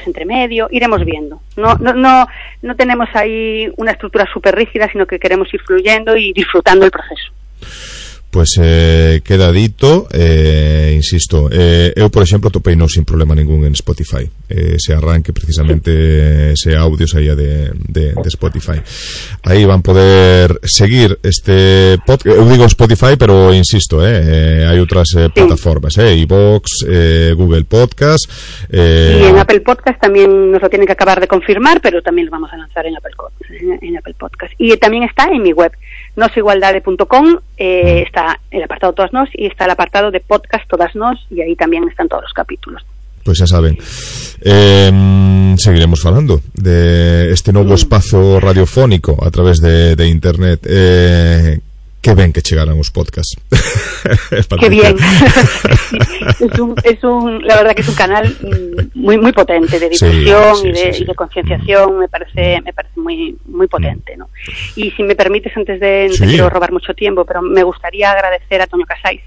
cortes entre medio, iremos viendo. No tenemos ahí una estructura súper rígida, sino que queremos ir fluyendo y disfrutando el proceso. Pois queda dito, insisto, eu por exemplo topeino sin problema ningún en Spotify, ese arranque precisamente, ese audio saía de Spotify. Aí van poder seguir este podcast, eu digo Spotify, pero insisto, hai outras plataformas, iVoox, Google Podcast, y en Apple Podcast también nos lo tienen que acabar de confirmar, pero también lo vamos a lanzar en Apple Podcast. Y también está en mi web, nosigualdade.com, está el apartado Todas Nos y está el apartado de podcast Todas Nos, y ahí también están todos los capítulos. Pois xa saben, seguiremos falando de este novo espazo radiofónico a través de internet. Que ben que chegaran os podcasts. Qué bien. La verdad que es un canal muy potente de difusión y de concienciación. Me parece muy potente, ¿no? Y si me permites, antes de no quiero robar mucho tiempo, pero me gustaría agradecer a Toño Casais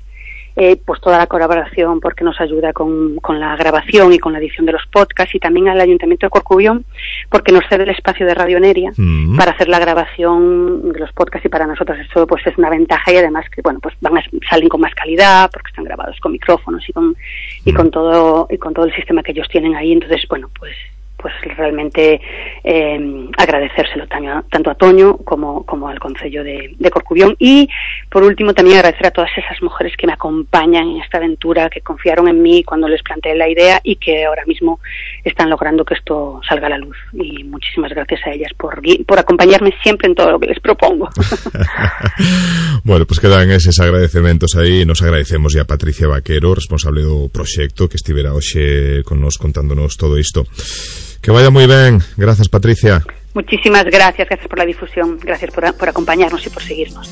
pues toda la colaboración, porque nos ayuda con la grabación y con la edición de los podcasts, y también al Ayuntamiento de Corcubión, porque nos cede el espacio de Radio Neria para hacer la grabación de los podcasts, y para nosotros eso pues es una ventaja, y además que bueno, pues salen con más calidad porque están grabados con micrófonos y con todo el sistema que ellos tienen ahí. Entonces bueno, pues realmente agradecérselo tanto a Toño como al Concello de Corcubión. Y por último también agradecer a todas esas mujeres que me acompañan en esta aventura, que confiaron en mí cuando les planteé la idea y que ahora mismo están logrando que esto salga a la luz, y muchísimas gracias a ellas por acompañarme siempre en todo lo que les propongo. Bueno, pues quedan esos agradecementos aí. Nos agradecemos a Patricia Vaquero, responsable do proxecto, que estivera hoxe con nos contándonos todo isto. Que vaya muy bien. Gracias, Patricia. Muchísimas gracias por la difusión, gracias por acompañarnos y por seguirnos.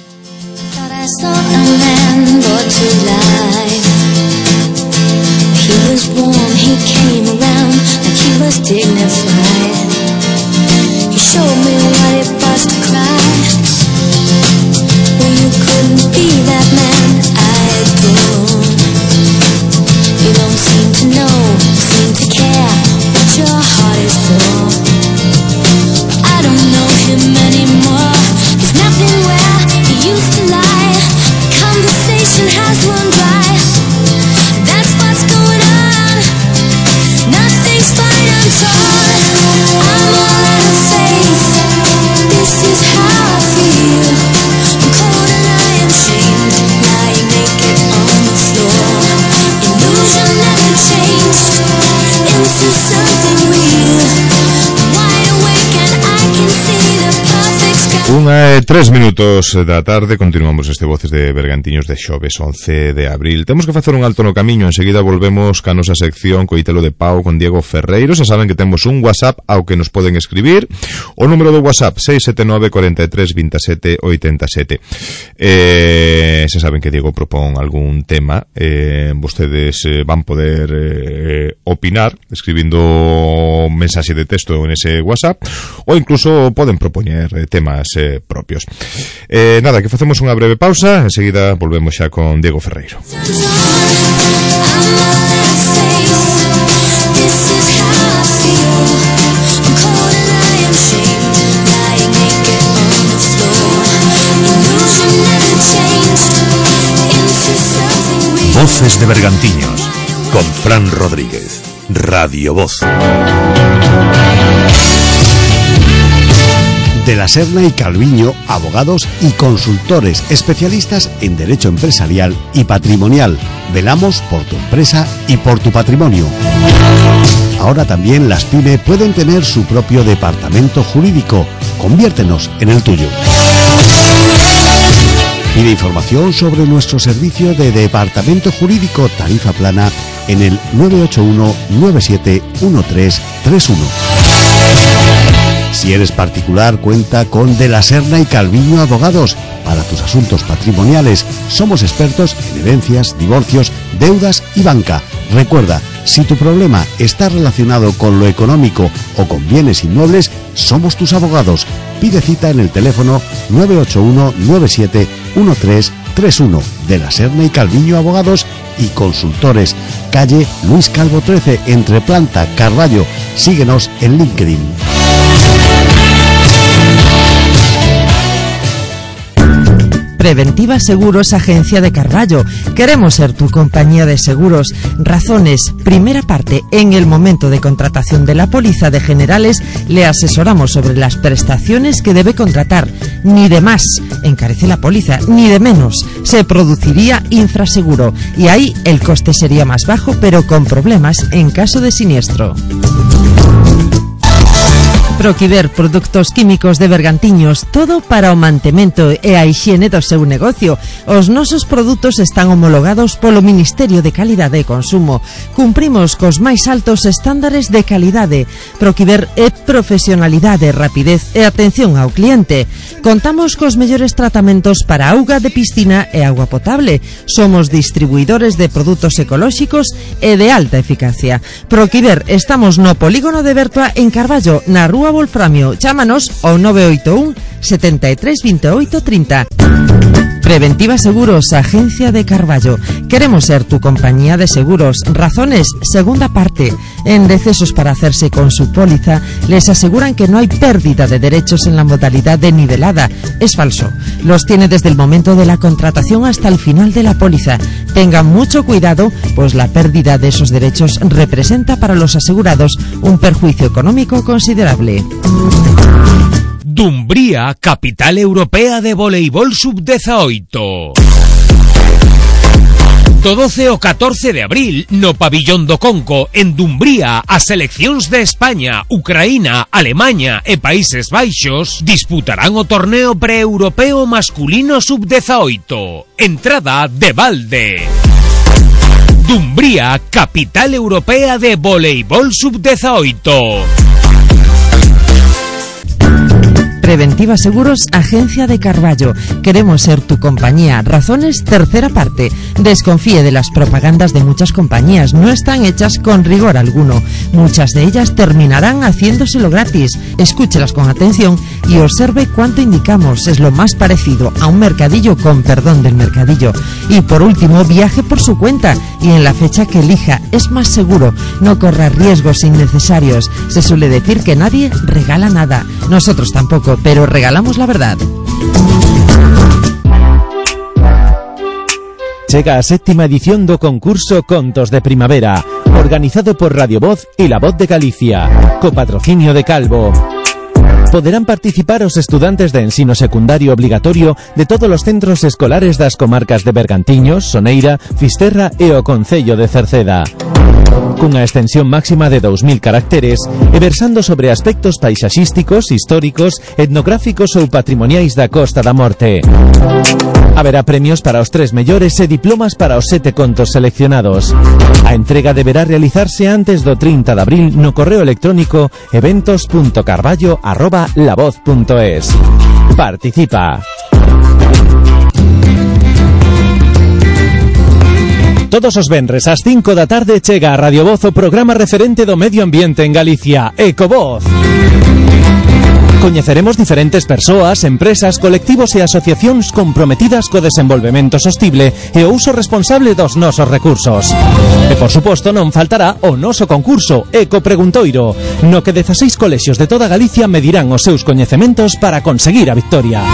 Your heart is full. I don't know him anymore. He's nothing where he used to lie. The conversation has run dry. That's what's going on. Nothing's fine, I'm torn. I'm all out of faith. This is how I feel. I'm cold and I am shamed, lying naked on the floor. Illusion never changed into something real. Wide awake and I can see the perfect sky. 3 minutos da tarde, continuamos este Voces de Bergantiños de xoves 11 de abril. Temos que facer un alto no camiño, enseguida volvemos ca nosa sección Coitelo de Pau con Diego Ferreiro. Se saben que temos un WhatsApp ao que nos poden escribir, o número do WhatsApp 679 43 27 87. Se saben que Diego propón algún tema, vostedes van poder opinar escribindo un mensaxe de texto en ese WhatsApp, ou incluso poden propoñer temas propios. Nada, que facemos unha breve pausa, enseguida volvemos xa con Diego Ferreiro. Voces de Bergantiños con Fran Rodríguez, Radio Voz. De la Serna y Calviño, abogados y consultores especialistas en derecho empresarial y patrimonial. Velamos por tu empresa y por tu patrimonio. Ahora también las PYME pueden tener su propio departamento jurídico. Conviértenos en el tuyo. Pide información sobre nuestro servicio de departamento jurídico tarifa plana en el 981 971331. Si eres particular, cuenta con De la Serna y Calviño Abogados. Para tus asuntos patrimoniales, somos expertos en herencias, divorcios, deudas y banca. Recuerda, si tu problema está relacionado con lo económico o con bienes inmuebles, somos tus abogados. Pide cita en el teléfono 981 971331. 31 de la Serna y Calviño Abogados y Consultores, calle Luis Calvo 13, entre Planta, Carballo. Síguenos en LinkedIn. Preventiva Seguros, Agencia de Carballo. Queremos ser tu compañía de seguros. Razones. Primera parte. En el momento de contratación de la póliza de generales, le asesoramos sobre las prestaciones que debe contratar. Ni de más encarece la póliza, ni de menos. Se produciría infraseguro y ahí el coste sería más bajo, pero con problemas en caso de siniestro. Proquiver, produtos químicos de Bergantiños, todo para o mantemento e a hixiene do seu negocio. Os nosos produtos están homologados polo Ministerio de Calidade e Consumo. Cumprimos cos máis altos estándares de calidade. Proquiver é profesionalidade, rapidez e atención ao cliente. Contamos cos mellores tratamentos para auga de piscina e agua potable. Somos distribuidores de produtos ecolóxicos e de alta eficacia. Proquiver, estamos no polígono de Bertua en Carballo, na Rúa Wolframio. Chámanos ao 981 73 28 30. Preventiva Seguros, Agencia de Carballo. Queremos ser tu compañía de seguros. Razones, segunda parte. En decesos para hacerse con su póliza, les aseguran que no hay pérdida de derechos en la modalidad de nivelada. Es falso. Los tiene desde el momento de la contratación hasta el final de la póliza. Tengan mucho cuidado, pues la pérdida de esos derechos representa para los asegurados un perjuicio económico considerable. Dumbría, capital europea de voleibol sub-18. Do 12 ao 14 de abril, no pabillón do Conco, en Dumbría, as seleccións de España, Ucraína, Alemaña e Países Baixos disputarán o torneo pre-europeo masculino sub-18. Entrada de balde. Dumbría, capital europea de voleibol sub-18. Preventiva Seguros, Agencia de Carballo. Queremos ser tu compañía. Razones, tercera parte. Desconfíe de las propagandas de muchas compañías. No están hechas con rigor alguno. Muchas de ellas terminarán haciéndoselo gratis. Escúchelas con atención y observe cuánto indicamos. Es lo más parecido a un mercadillo, con perdón del mercadillo. Y por último, viaje por su cuenta y en la fecha que elija. Es más seguro. No corra riesgos innecesarios. Se suele decir que nadie regala nada. Nosotros tampoco, pero regalamos la verdad. Chega a séptima edición do concurso Contos de Primavera, organizado por Radio Voz e La Voz de Galicia, co patrocinio de Calvo. Poderán participar os estudantes de ensino secundario obligatorio de todos os centros escolares das comarcas de Bergantiños, Soneira, Fisterra e o Concello de Cerceda. Cunha extensión máxima de 2000 caracteres e versando sobre aspectos paisaxísticos, históricos, etnográficos ou patrimoniais da Costa da Morte. Haberá premios para os 3 mellores e diplomas para os 7 contos seleccionados. A entrega deberá realizarse antes do 30 de abril no correo electrónico eventos.carballo@lavoz.es. Participa. Todos os venres ás 5 da tarde chega a Radio Voz o programa referente do medio ambiente en Galicia, Ecovoz. Coñeceremos diferentes persoas, empresas, colectivos e asociacións comprometidas co desenvolvemento sostible e o uso responsable dos nosos recursos. E, por suposto, non faltará o noso concurso Eco Preguntoiro, no que 16 colexios de toda Galicia medirán os seus coñecementos para conseguir a victoria.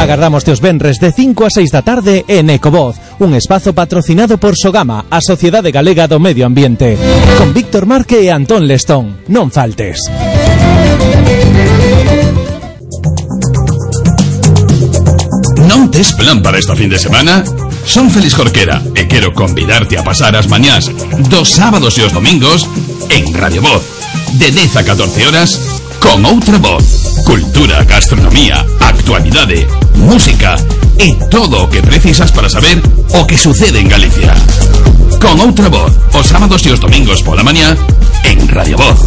Agardamos os venres de 5 a 6 da tarde en Ecovoz, un espazo patrocinado por Sogama, a Sociedade Galega do Medio Ambiente, con Víctor Marque e Antón Lestón. Non faltes. Non tes plan para esta fin de semana? Son Félix Jorquera e quero convidarte a pasar as mañás dos sábados e os domingos en Radio Voz, de 10 a 14 horas, con outra voz. Cultura, gastronomía, actualidade, música e todo o que precisas para saber o que sucede en Galicia. Con outra voz, os sábados e os domingos pola mañá en Radio Voz.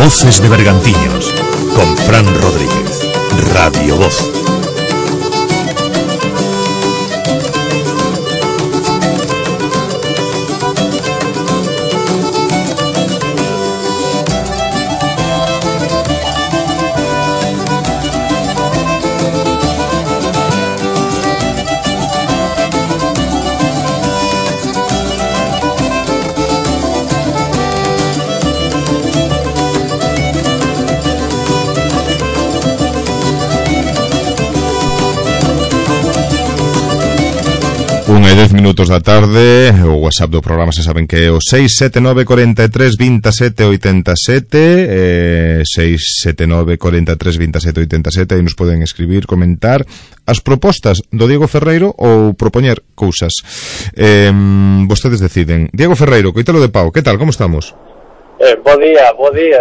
Voces de Bergantiños, con Fran Rodríguez. Radio Voz. 1:10 da tarde. O WhatsApp do programa se saben que é o 679 43 27 87, 679 43 27 87. Aí nos poden escribir, comentar as propostas do Diego Ferreiro ou propoñer cousas. Vostedes deciden. Diego Ferreiro, Coitelo de Pau, que tal, como estamos? Bo día,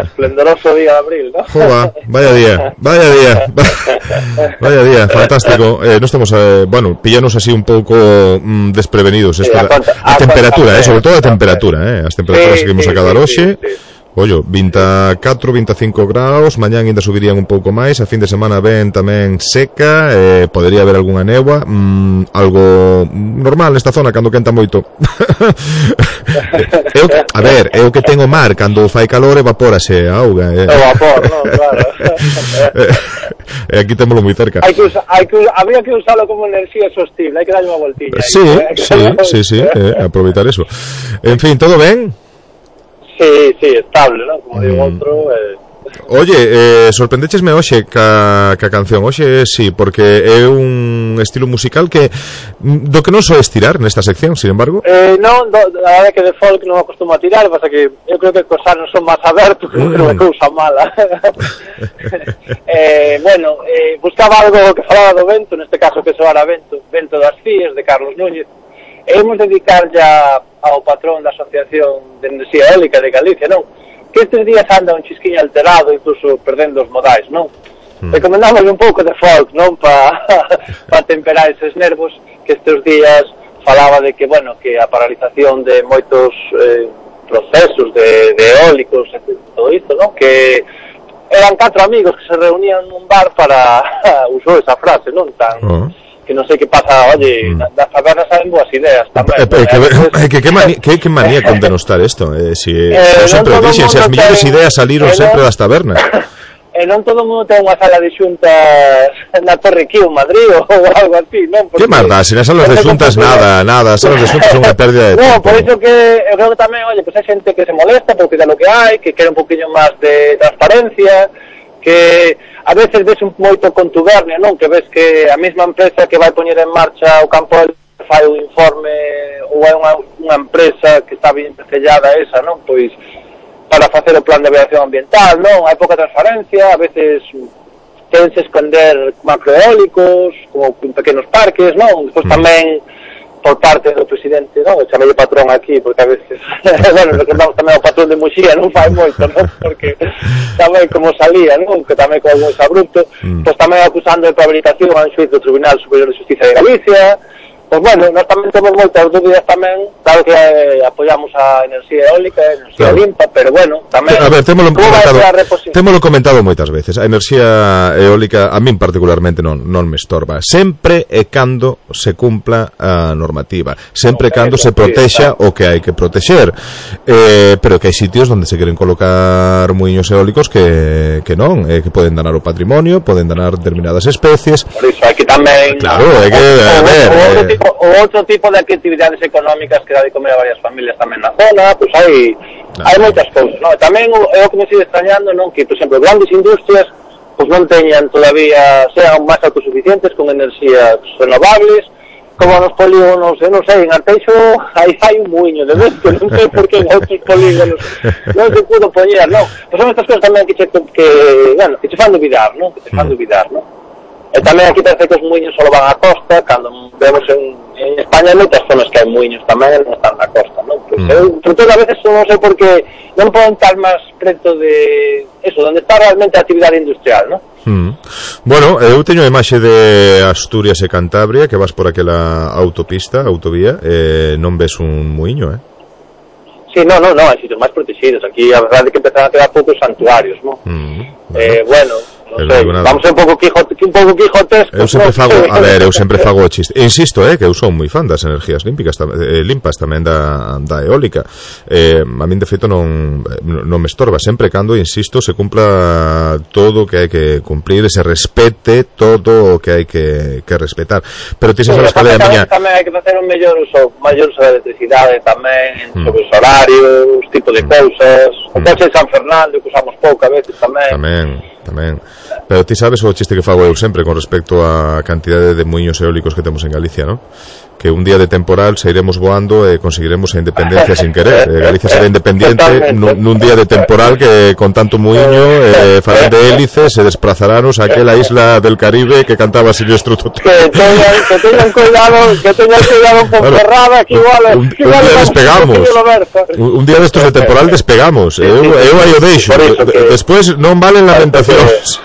esplendoroso día de abril, ¿no? Joa, vaya día, fantástico. No estamos, pillanos así un pouco desprevenidos. A temperatura, sobre todo a temperatura, as temperaturas que imos a cada hoxe. Ollo, 24, 25 graus, mañán ainda subirían un pouco máis, a fin de semana ven tamén seca, podería haber algunha néboa, algo normal nesta zona cando quenta moito. É o que ten o mar, cando fai calor evapórase a auga. O vapor, non, claro. Aquí témolo moi cerca. Habría que usarlo como enerxía sostible, hai que darlle unha voltilla. Sí, aproveitar eso. En fin, todo ben? Sí, estable, ¿no? Como digo outro. Oye, sorprendéchesme hoxe ca canción. Hoxe sí, porque é un estilo musical que do que non soe estirar nesta sección, sin embargo. Non, a verdade que de folk non acostumo a tirar, pasa que eu creo que os anos son máis abertos, que non é cousa mala. Buscaba algo que falaba do vento, neste caso que soara Vento das Cíes, de Carlos Núñez. Hemos dedicar ya ao patrón da Asociación de Enerxía Eólica de Galicia, non? Que estes días anda un chisquiño alterado, incluso perdendo os modais, non? Recomendamos un pouco de folk, non? Para temperar eses nervos, que estes días falaba de que, que a paralización de moitos procesos de eólicos, todo isto, non? Que eran 4 amigos que se reunían nun bar para usou esa frase, non? Que non sei que pasa, das tabernas salen boas ideas tamén. Que manía con denostar isto? Sempre dixen, as mellores ideas saliron sempre das tabernas. E non todo o mundo ten unha sala de xuntas na Torre Quío, Madrid, ou algo así, non? Que marda, se nas salas de xuntas nada, as salas de xuntas son unha pérdida de tempo. Non, por iso que eu creo que tamén, hai xente que se molesta porque da lo que hai, que quere un poquinho máis de transparencia, que a veces ves moito contubernio, non? Que ves que a mesma empresa que vai poñer en marcha o campo fai un informe ou é unha empresa que está bien sellada esa, non? Pois para facer o plan de avaliación ambiental, non? Hai pouca transparencia, a veces querense esconder macroeólicos como pequenos parques, non? Despois tamén por parte do presidente, non? Chamei patrón aquí, porque a veces recordamos tamén o patrón de Muxía, non fai moito, non? Porque tamén como salía, non? Que tamén con algún abrupto, pois tamén acusando de prevaricación a un xuiz do Tribunal Superior de Justicia de Galicia. Pois nós tamén temos moitas dúbidas tamén, claro que apoiamos a enerxía eólica, a enerxía limpa, pero tamén... A ver, témolo comentado moitas veces. A enerxía eólica a min particularmente non me estorba. Sempre e cando se cumpla a normativa, sempre e cando se protexa o que hai que protexer. Pero que hai sitios onde se queren colocar muiños eólicos que non, que poden danar o patrimonio, poden danar determinadas especies. Por iso hai que tamén... Claro, hai que... A ver... O outro tipo de actividades económicas que dá de comer a varias familias tamén na zona, pois hai moitas cousas, non? Tamén é o que me sigue extrañando, non? Que, por exemplo, grandes industrias pois non teñan todavía, sean máis autosuficientes con enerxías renovables, como nos polígonos, eu non sei, en Arteixo hai un muiño de vento, non sei por que en outros polígonos non se pudo poñer, non? Pois son estas cousas tamén que te fan dubidar, non? Que te fan dubidar, non? E tamén aquí parece que os muiños só van á costa, cando vemos en España hai moitas zonas que hai muiños tamén non están na costa, non? Pois sobre todo a veces non sei por que non poden estar máis preto de eso, onde está realmente a actividade industrial, non? Bueno, eu teño a imaxe de Asturias e Cantabria, que vas por aquela autovía, non ves un muiño, Sí, non, hai sitios máis protegidos. Aquí a verdade é que empezaron a quedar poucos santuarios, non? Non sei, vamos ser un pouco quijotescos. Eu sempre fago o chiste. Insisto, que eu son moi fan das energías limpas tamén da eólica. A min de feito non me estorba, sempre cando, insisto, se cumpla todo o que hai que cumplir e se respete todo o que hai que respetar. Pero ti sabes que tamén hai que facer un maior uso da electricidade tamén, sobre os horarios, tipo de cousas. O coche de San Fernando que usamos pouco a veces tamén. Pero ti sabes o chiste que fago eu sempre con respecto á cantidade de muiños eólicos que temos en Galicia, non? que un día de temporal sairemos voando e conseguiremos a independencia sin querer. Galicia será independiente nun día de temporal que con tanto muiño falan de hélices se desplazaranos a aquela isla del Caribe que cantaba Silvestre Tote. Que teñan cuidado con Ferrada, que igual un día despegamos. Un día destos de temporal despegamos. Eu aí o deixo. Despois non valen lamentacións.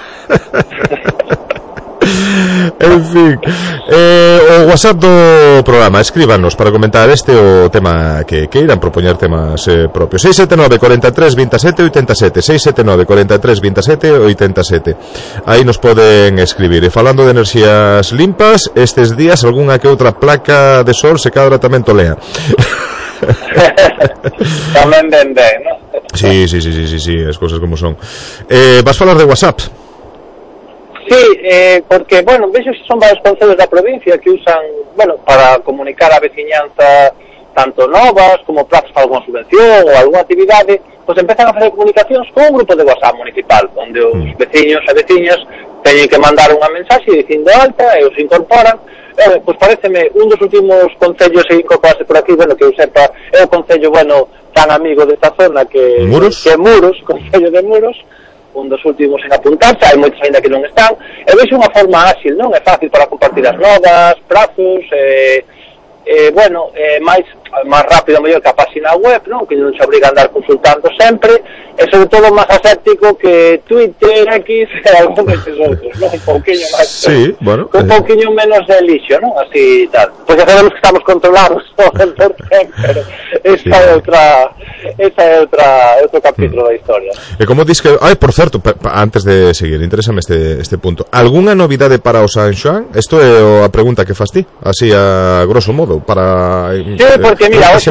En fin, o WhatsApp do programa, escríbanos para comentar este o tema que queiran, propoñer temas propios. 679 43 27 87, 679 43 27 87. Aí nos poden escribir. E falando de enerxías limpas, estes días algunha que outra placa de sol se cadra tamén tolea. Tamén ben, ¿no? Sí, as cousas como son. Vas falar de WhatsApp? Sí, porque, bueno, vexo que son varios concellos da provincia que usan, bueno, para comunicar a veciñanza tanto novas como plazos para alguna subvención ou alguna actividade, pois empezan a facer comunicacións con un grupo de WhatsApp municipal, onde os veciños e veciñas teñen que mandar unha mensaxe dicindo alta e os incorporan. Pois pareceme un dos últimos concellos a incorporarse por aquí, bueno, que eu sepa, é o concello, bueno, tan amigo desta zona que Muros, concello de Muros, un dos últimos en apuntarse, hai moitos ainda que non están, e vexo unha forma áxil, non? É fácil para compartir as novas, prazos, bueno, máis rápido mellor que a página web, non? Que non se obriga a andar consultando sempre, e sobre todo máis aséptico que Twitter, X e algún destes outros, non? Un pouquiño máis, sí, bueno, un pouquiño menos de lixo, non? Así tal, porque sabemos que estamos controlados no 100%, pero esa é outro capítulo da historia. E como dis que... por certo, antes de seguir, interésame este punto. Algunha novidade para o San Xoán? Isto é a pregunta que fas ti, así a grosso modo, para... Sí, porque mira, hoxe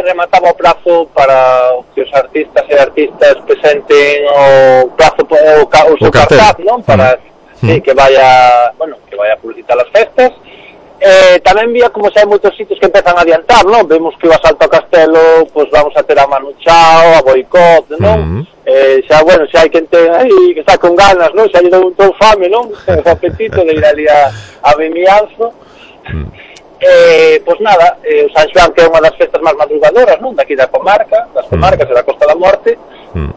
remataba o prazo para que os artistas e artistas presenten o prazo o seu cartaz, non? Para que vaya, bueno, que vaya a publicitar as festas. Tamén vía como xa hai moitos sitios que empezan a adiantar, non? Vemos que o Asalto ao Castelo, pois vamos a ter a Manu Chao, a Boicot, non? Xa, bueno, xa hai quen ten aí que está con ganas, non? Xa lle dou un ton fame, non? O apetito de ir ali a Vimianzo. Pois nada, o San Xoán, que é unha das festas máis madrugadoras, non? Daqui das comarcas e da Costa da Morte,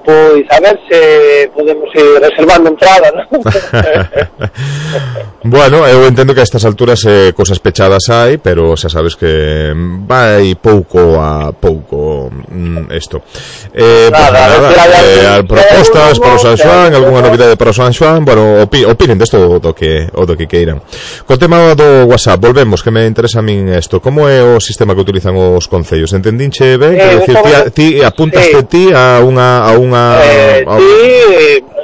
pois a ver se podemos ir reservando entrada, non? Bueno, eu entendo que a estas alturas cosas pechadas hai, pero xa sabes que vai pouco a pouco isto. Propostas para o San Xoán, algunha novidade para o San Xoán, bueno, opinen desto do que queiran. Co tema do WhatsApp, volvemos, que me interesa a min isto. Como é o sistema que utilizan os concellos? Entendinche ben? Quero dicir, ti apuntaste ti a unha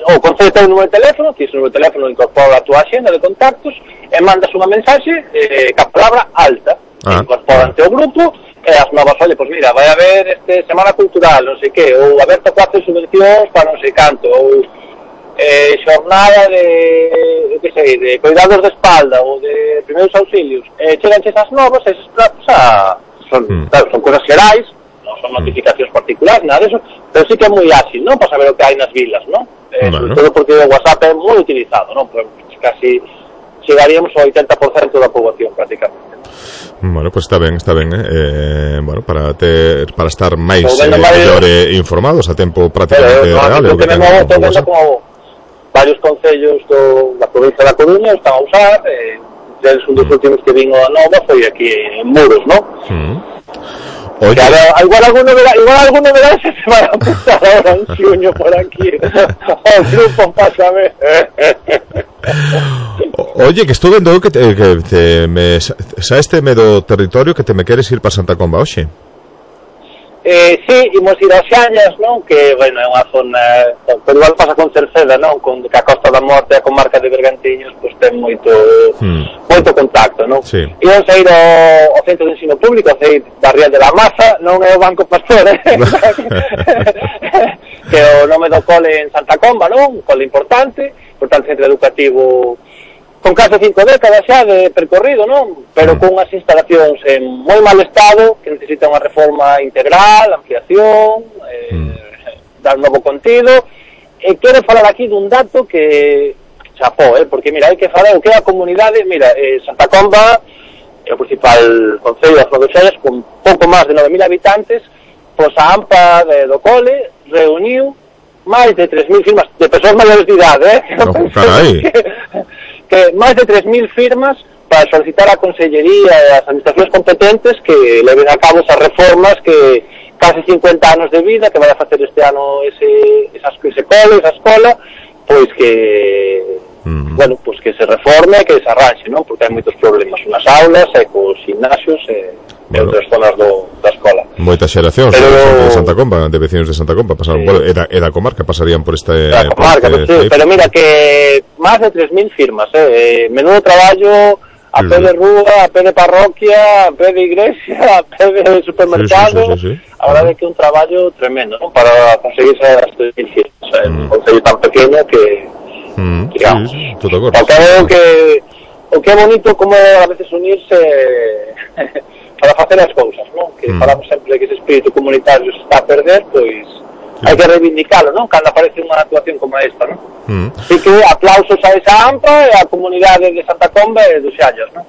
o concello ten un número de teléfono, ti ese número de teléfono incorpora a túa axenda de contactos e mandas unha mensaxe ca palabra alta, incorporante ao grupo e as novas, olha, pois mira, vai haber semana cultural, non sei que, ou aberto 4 subvencións para non sei canto, ou xornada de cuidados de espalda ou de primeiros auxilios, cheganche esas novas, esos pratos son cosas xerais, non son notificacións particulares, nada disso, pero sí que é moi ágil, non? Para saber o que hai nas vilas, non? Sobre todo porque o WhatsApp é moi utilizado, non? Pues casi chegaríamos ao 80% da poboación, prácticamente. Bueno, pues está ben, bueno, para estar máis mellor informados a tempo prácticamente real. Estou vendo como varios concellos da provincia da Coruña están a usar, deles un dos últimos que vino a nova foi aquí en Muros, non? Oye, igual algún novedade se vai a apuntar ahora en xuño por aquí o grupo, pásame. Oye, que estou vendo que saésteme do territorio que te me queres ir para Santa Comba hoxe. Sí, imos ir a Xañas, non? Que, bueno, é unha zona, pero igual pasa con Cerceda, non? Con que a Costa da Morte e a comarca de Bergantiños, pois ten moito contacto, non? Sí. Imos a ir ao Centro de Ensino Público, a ir da Ría de la Maza, non é o Banco Pastor, que o nome do cole en Santa Comba, non? Un cole importante, centro educativo con case 5 décadas xa de percorrido, non? Pero con unhas instalacións en moi mal estado, que necesitan unha reforma integral, ampliación, dar novo contido. E quero falar aquí dun dato que chapó, porque mira, hai que falar o que é a comunidade. Mira, Santa Comba o principal concello das Rodoxallas, con pouco máis de 9.000 habitantes, pois a AMPA do cole reuniu máis de 3.000 firmas de persoas maiores de idade, que máis de 3.000 firmas para solicitar á Consellería e ás administracións competentes que leven a cabo esas reformas que case 50 anos de vida que vai a facer este ano ese cole, esa escola, pois que bueno, pois que se reforme e que se arranxe, non? Porque hai moitos problemas nas aulas e cos gimnasios e outras zonas da escola. Moitas xeracións de Santa Comba, de vecinos de Santa Comba pasaron por, e da comarca pasarían por este... Da comarca, sí, pero mira que máis de 3.000 firmas, menudo traballo a pé de rúa, a pé de parroquia, a pé de iglesia, a pé de supermercado. Sí. A verdade é que é un traballo tremendo, non? Para conseguir esas 3.000 firmas. Un concello tan pequeno que digamos, todo acordo. O que é bonito como a veces unirse para facer as cousas, non? Que falamos sempre que ese espírito comunitario se está a perder, pois hai que reivindicalo, non? Cando aparece unha actuación como esta, non? Así que aplausos a esa AMPA e a comunidade de Santa Comba e dos Xallas, non?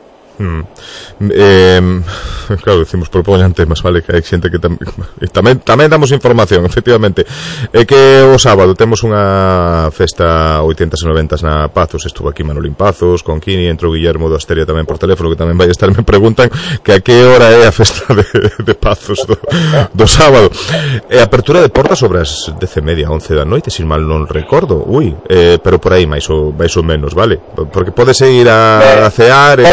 Claro, decimos propoñan temas, vale, que hai xente que tamén damos información, efectivamente. É que o sábado temos unha festa 80s e 90s na Pazos. Estuvo aquí Manolín Pazos con Kini, entrou Guillermo do Asteria tamén por teléfono, que tamén vai estar. Me preguntan que a que hora é a festa de Pazos do sábado. E a apertura de portas sobre as 10:30, 11 da noite, sin mal non recordo. Pero por aí máis ou menos, vale? Porque podes ir a cear,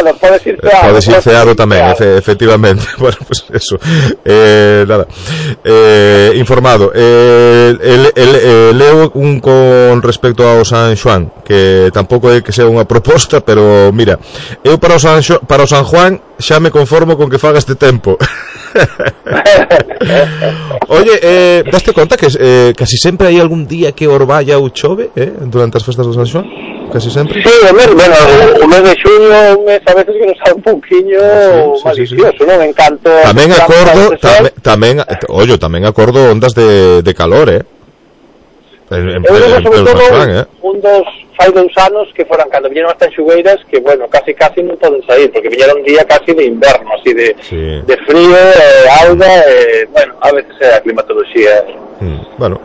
podes ir ceado tamén, efectivamente. Bueno, pues eso. Nada. Informado. Leo un con respecto ao San Xoán, que tampouco é que sea unha proposta, pero mira, eu para o San Juan xa me conformo con que faga este tempo. Oye, daste conta que casi sempre hai algún día que orballa ou chove, durante as festas do San Xoán? Casi sempre. Sí, o mes de xuño, un mes a veces que nos sabe un pouquiño malicioso, non? En canto tamén acordo, tamén acordo ondas de calor, en sobre todo un dos fai 2 anos que foran cando viñeron as tanxugueiras que, bueno, casi non poden sair porque viñeron un día casi de inverno, así de frío, auga, bueno, a veces é a climatoloxía. Bueno.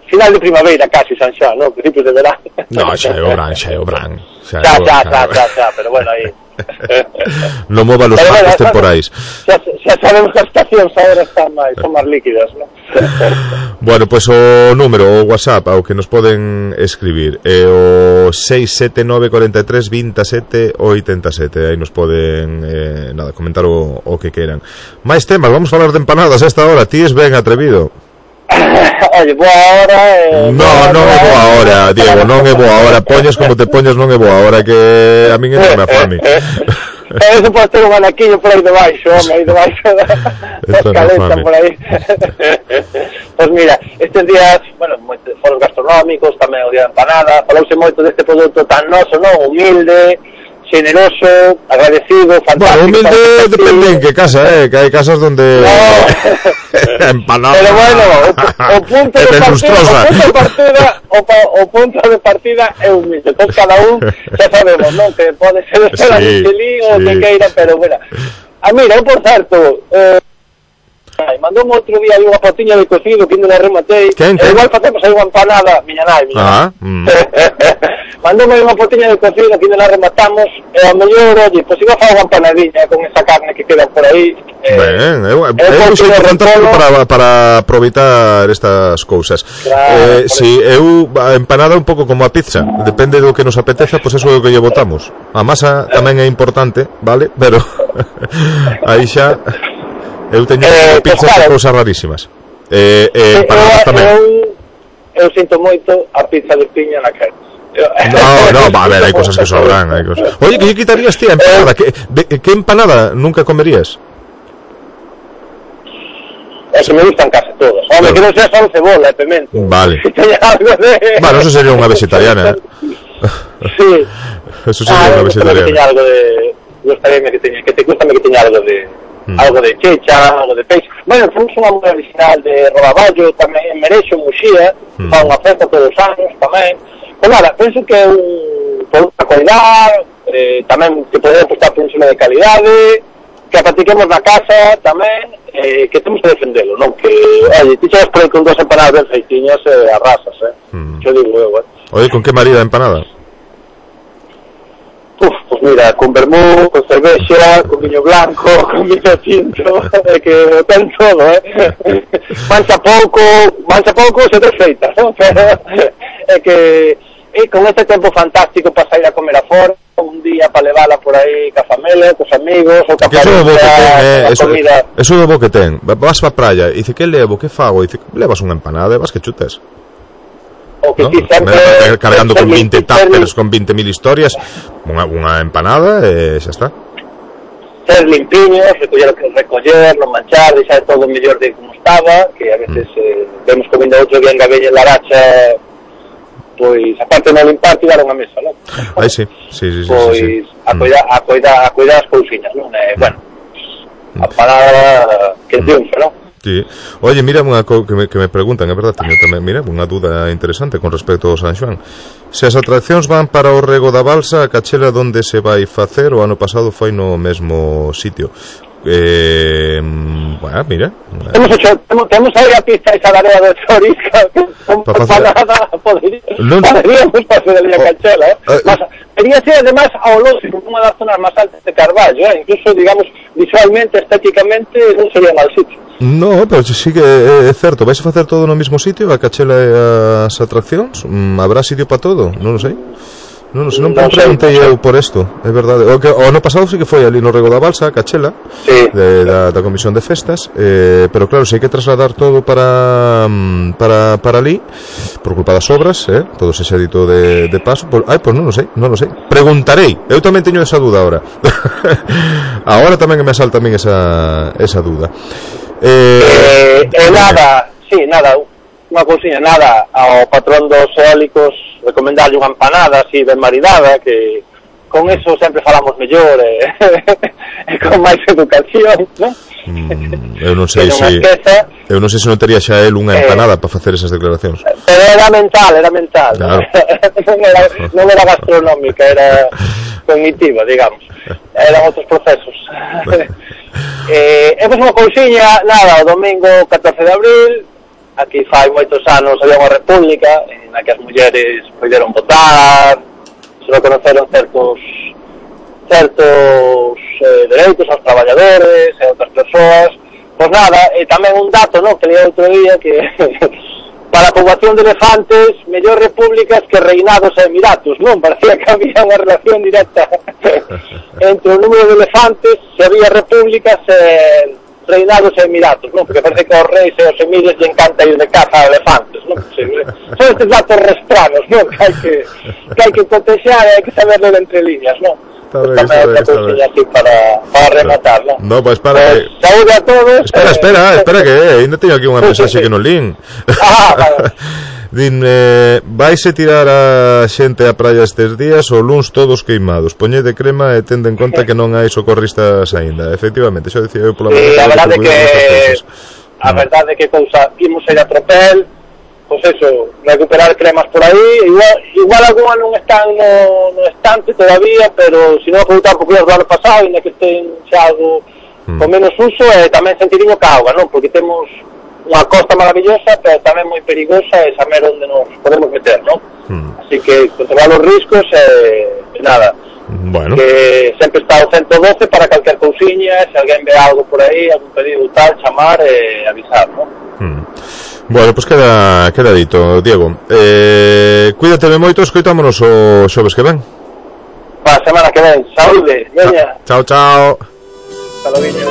Final de primavera casi San Xoán, non? Principios de verán. No, xa é o Bran. Xa, pero bueno, aí. Non mova los parques temporais. Xa sabemos que as estacións agora son máis líquidas, non? Bueno, pois o número, o WhatsApp ao que nos poden escribir é o 679432787. Aí nos poden comentar o que queran. Máis temas, vamos falar de empanadas a esta hora. Ti es ben atrevido. Oye, boa hora. Non é boa hora, Diego, non é boa hora. Poñes como te poñes, non é boa hora, que a min entra me afame. Eso pode ter un anaquiño por aí debaixo, home, aí debaixo da escaleta por aí. Pois mira, estes días, bueno, foros gastronómicos, tamén o día de empanada, falouse moito deste produto tan noso, non? Humilde, generoso, agradecido, fantástico. Bueno, humilde depende en que casa, que hai casas donde empanada. Pero bueno, o punto de partida é humilde. Entón cada un xa sabemos, non? Que pode ser a Michelin ou que queira, pero bueno. Mira, por certo, mandou outro día unha fotiña de cocido que ainda non rematei. Igual facemos aí unha empanada, miña nai. Mandoume unha fotiña de cocido que ainda non rematamos, e a mellor, oye, pois iba a facer unha empanadinha con esa carne que queda por aí. Ben, é un xeito fantástico para aproveitar estas cousas. Si eu a empanada un pouco como a pizza, depende do que nos apeteza, pois eso é o que lle botamos. A masa tamén é importante, vale? Pero aí xa eu teño pizzas de cousas rarísimas. Empanadas tamén. Eu sinto moito a pizza de piña na cara. No, va a ver, hai cosas que sobran, hai cosas. Oye, que lle quitarías ti a empanada? Que empanada nunca comerías? Que me gustan casi todas. Home, que non sea só cebola e pemento. Vale. Bueno, eso sería unha vegetariana. Sí. Eso sería unha vegetariana. Que teña algo de... Gustaríame que teña algo de... algo de checha, algo de peixe. Bueno, temos unha música original de Rodaballo, tamén en Merexo, Muxía, fa unha festa todos os anos tamén. Pues nada, penso que é un produto a cuidar, tamén que podemos apostar por un ensino de calidade, que a practiquemos na casa tamén, que temos que defendelo, non? Que, oye, ti chegas por aí con 2 empanadas ben feitiñas, arrasas, Yo digo eu, Oye, con que marida empanada? Pues mira, con vermú, con cervexa, con viño blanco, con viño tinto, que ten todo, mancha pouco, se te feita, non? Pero é que con este tempo fantástico para sair a comer afora, un día para levala por aí ca familia, cos amigos, ou ca familia, comida. Eso é bo que ten. Vas pa praia e dice, que levo, que fago? E dice, levas unha empanada e vas que chutes. O que ti sempre cargando con 20 tuppers, con 20.000 historias, unha empanada e xa está. Ser limpiños, recoller, non manchar, deixar todo mellor de como estaba, que a veces vemos comiendo outro día en Gabeña en Laracha, pois aparte de non limpar, tirar unha mesa, non? Aí sí. Pois a cuidar as cousiñas, non? Bueno, a parada que triunfa, non? Sí. Oye, mira unha que me preguntan, é verdade, teño tamén, mira, unha dúda interesante con respecto ao San Xoán. Se as atraccións van para o Rego da Balsa, a cachela onde se vai facer, o ano pasado foi no mesmo sitio. Bueno, mira. Temos aí a pista esa da área de Chorisca, poderíamos facer ali a cachela, mas sería ser además ao lógico, unha das zonas máis altas de Carballo, incluso, digamos, visualmente, estéticamente, non sería mal sitio. No, pero sí que é certo. Vais a facer todo no mesmo sitio, a cachela e as atraccións? Habrá sitio para todo? Non o sei. Non preguntei eu por isto, é verdade. O ano pasado sí que foi ali no Rego da Balsa, a cachela, sí, da Comisión de Festas, pero claro, se hai que trasladar todo para ali, por culpa das obras, todo ese xedito de paso, pois non o sei. Preguntarei, eu tamén teño esa duda agora. Agora tamén me salta tamén esa duda. Nada, unha cousiña, nada, ao patrón dos eólicos recomendarlle unha empanada así ben maridada, que con eso sempre falamos mellor e con máis educación, non? Eu non sei se non tería xa el unha empanada para facer esas declaracións. Pero era mental, claro. non era gastronómica, era cognitiva, digamos. Eran outros procesos. Pois unha cousiña, nada, o domingo 14 de abril, aquí fai moitos anos había unha república na que as mulleres poderon votar, se reconoceron certos dereitos aos traballadores e outras persoas. Pois nada, e tamén un dato, non, que leí outro día, que para a poboación de elefantes, mellor repúblicas que reinados e emiratos, non? Parecía que había unha relación directa entre o número de elefantes, se había repúblicas e reinados e emiratos, non? Porque parece que aos reis e aos emires lle encanta ir de caza a elefantes, non? Son estes datos restranos, non? Que hai que protexar e hai que saber ler entre líneas, non? Está ben. Así para rematar, non? No, pois para... Saúde a todos. Espera, que ainda teño aquí unha mensaxe que non lín. Vale. Din, vaise tirar a xente á praia estes días, o luns todos queimados, poñede crema e tende en conta que non hai socorristas aínda. Efectivamente, xa dicía eu pola mañá. A verdade que cousa, imos ir a tropel, pois eso, recuperar cremas por aí, igual algunha non están no estante todavía, pero se non aproveitar por do ano pasado, ainda que estén xa algo con menos uso, e tamén sentirinho ca auga, non? Porque temos unha costa maravillosa, pero tamén moi perigosa e saber onde nos podemos meter, non? Así que controlar os riscos e nada. Bueno. Que sempre está o 112 para calquer cousiña, se alguén ve algo por aí, algún pedido tal, chamar e avisar, non? Bueno, pois queda dito, Diego. Cuídate moito, escoitámonos o xoves que ven. Pa semana que ven, saúde, veña. Chao. Saludiño.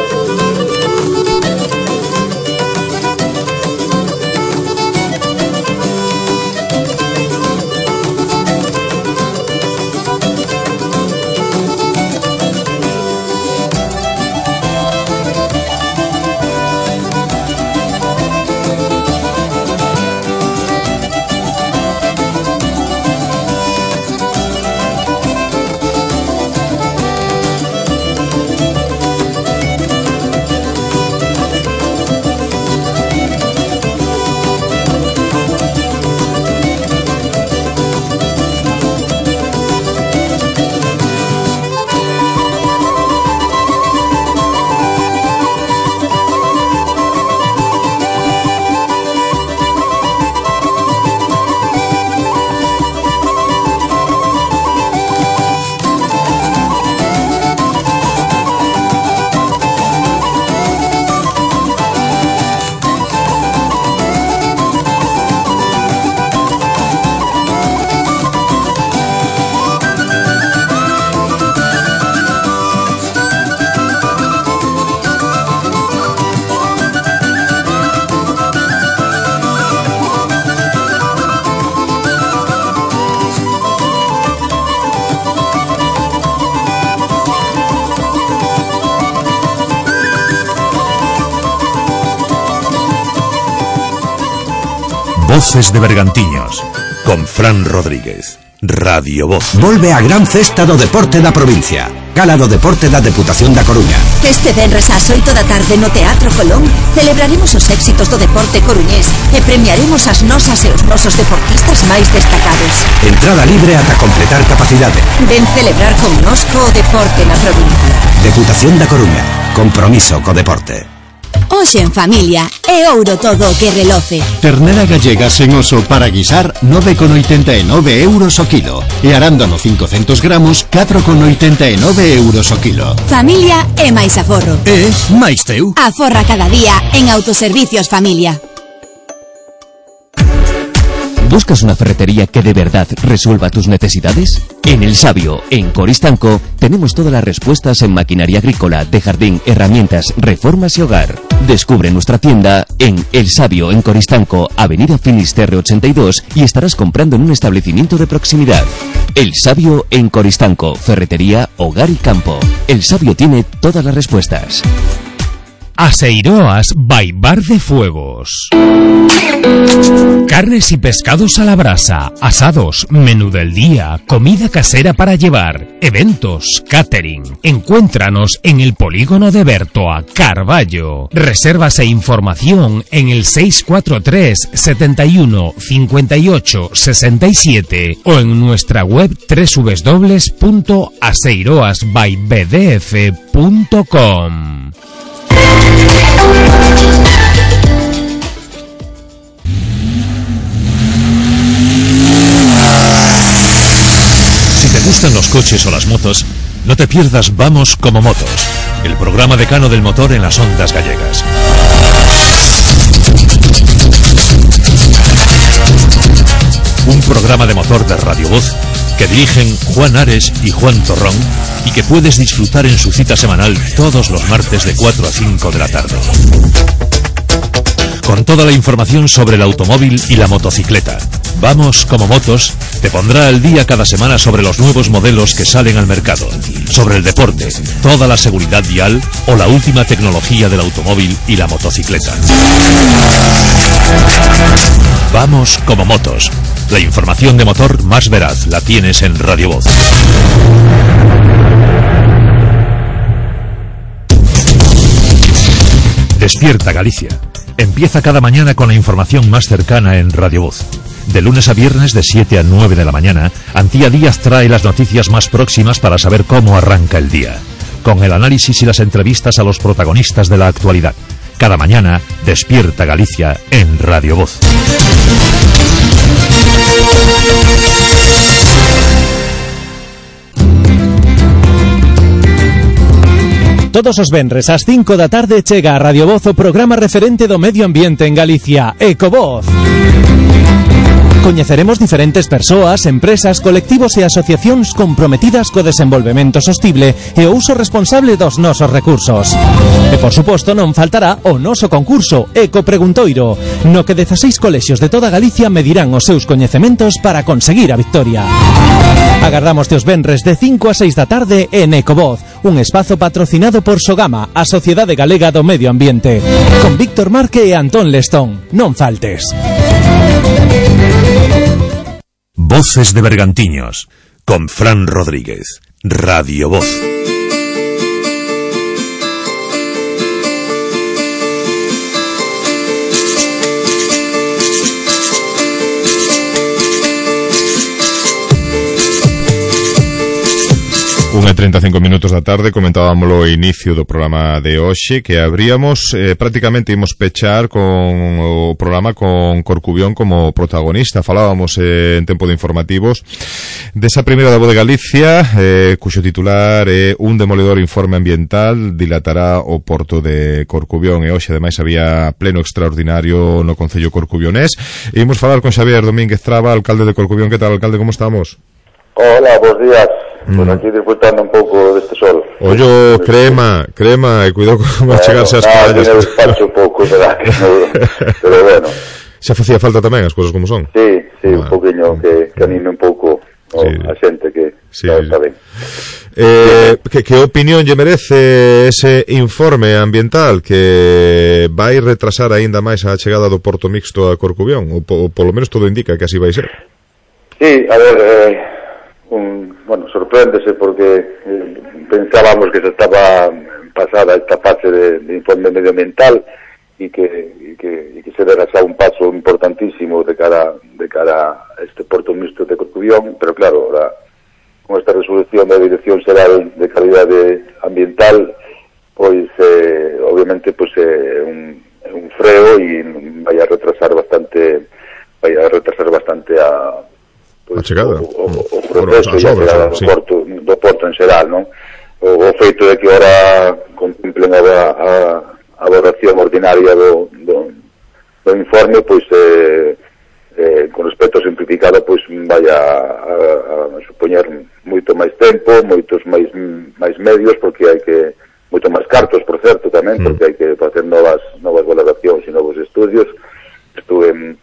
Voces de Bergantiños, con Fran Rodríguez. Radio Voz. Volve a gran festa do deporte da provincia. Gala do deporte da Deputación da Coruña. Este venres ás 8 da tarde no Teatro Colón celebraremos os éxitos do deporte coruñés e premiaremos as nosas e os nosos deportistas máis destacados. Entrada libre ata completar capacidade. Ven celebrar connosco o deporte na provincia. Deputación da Coruña. Compromiso co deporte. Hoxe en familia é ouro todo o que reloce. Ternera gallega sen oso para guisar 9,89 euros o kilo. E arándano 500 gramos 4,89 euros o kilo. Familia é máis aforro. É máis teu. Aforra cada día en Autoservicios Familia. ¿Buscas una ferretería que de verdad resuelva tus necesidades? En El Sabio, en Coristanco, tenemos todas las respuestas en maquinaria agrícola, de jardín, herramientas, reformas y hogar. Descubre nuestra tienda en El Sabio, en Coristanco, Avenida Finisterre 82, y estarás comprando en un establecimiento de proximidad. El Sabio en Coristanco, ferretería, hogar y campo. El Sabio tiene todas las respuestas. Aseiroas by Bar de Fuegos. Carnes y pescados a la brasa, asados, menú del día, comida casera para llevar, eventos, catering. Encuéntranos en el polígono de Bertoa, Carballo. Reservas e información en el 643 71 58 67 o en nuestra web www.aseiroasbybdf.com. Si te gustan los coches o las motos, no te pierdas Vamos como Motos, el programa decano del motor en las ondas gallegas. Un programa de motor de Radio Voz que dirigen Juan Ares y Juan Torrón y que puedes disfrutar en su cita semanal todos los martes de 4 a 5 de la tarde. Con toda la información sobre el automóvil y la motocicleta. Vamos como Motos te pondrá al día cada semana sobre los nuevos modelos que salen al mercado, sobre el deporte, toda la seguridad vial o la última tecnología del automóvil y la motocicleta. Vamos como Motos. La información de motor más veraz la tienes en Radio Voz. Despierta Galicia. Empieza cada mañana con la información más cercana en Radio Voz. De lunes a viernes de 7 a 9 de la mañana, Antía Díaz trae las noticias más próximas para saber cómo arranca el día. Con el análisis y las entrevistas a los protagonistas de la actualidad. Cada mañana, Despierta Galicia en Radio Voz. Todos os venres ás 5 da tarde chega a Radio Voz o programa referente do medio ambiente en Galicia, Ecovoz. Coñeceremos diferentes persoas, empresas, colectivos e asociacións comprometidas co desenvolvemento sostible e o uso responsable dos nosos recursos. E, por suposto, non faltará o noso concurso Eco Preguntoiro, no que 16 colexios de toda Galicia medirán os seus coñecementos para conseguir a victoria. Agardamos os venres de 5 a 6 da tarde en Ecovoz, un espazo patrocinado por Sogama, a Sociedade Galega do Medio Ambiente, con Víctor Marque e Antón Lestón. Non faltes. Voces de Bergantiños, con Fran Rodríguez. Radio Voz. Unha 35 minutos da tarde, comentábamoslo ao inicio do programa de hoxe, que abríamos, prácticamente imos pechar con o programa con Corcubión como protagonista. Falábamos en tempo de informativos desa primeira da Voz de Galicia, cuxo titular é un demoledor informe ambiental dilatará o porto de Corcubión, e hoxe ademais había pleno extraordinario no Concello corcubionés. E imos falar con Xavier Domínguez Traba, alcalde de Corcubión. Que tal, alcalde, como estamos? Hola, bons días. Pues aquí disfrutando un pouco deste sol. Ollo, crema, e cuidado con chegarse ás playas. No, despacho un pouco, verdad, pero bueno. Xa facía falta tamén as cousas como son. Sí, un poquinho que anime un pouco a xente que está ben. Que opinión lle merece ese informe ambiental que vai retrasar aínda máis a chegada do porto mixto a Corcubión, ou polo menos todo indica que así vai ser? Sí, a ver, bueno, sorpréndese porque pensábamos que se estaba pasada esta fase de informe medioambiental y que se dera xa un paso importantísimo de cara a este porto mixto de Corcubión, pero claro, ahora con esta resolución da Dirección Xeral de Calidade Ambiental, pois obviamente pois un freo e vai a retrasar bastante a pois, a chegada o proceso e a chegada do porto en xeral, non? O feito de que ahora contemplen a valoración ordinaria do informe, pois con respecto ao simplificado, pois vai a supoñer moito máis tempo, moitos máis medios, porque hai que moito máis cartos, por certo, tamén, porque hai que facer novas valoracións e novos estudios. Estuve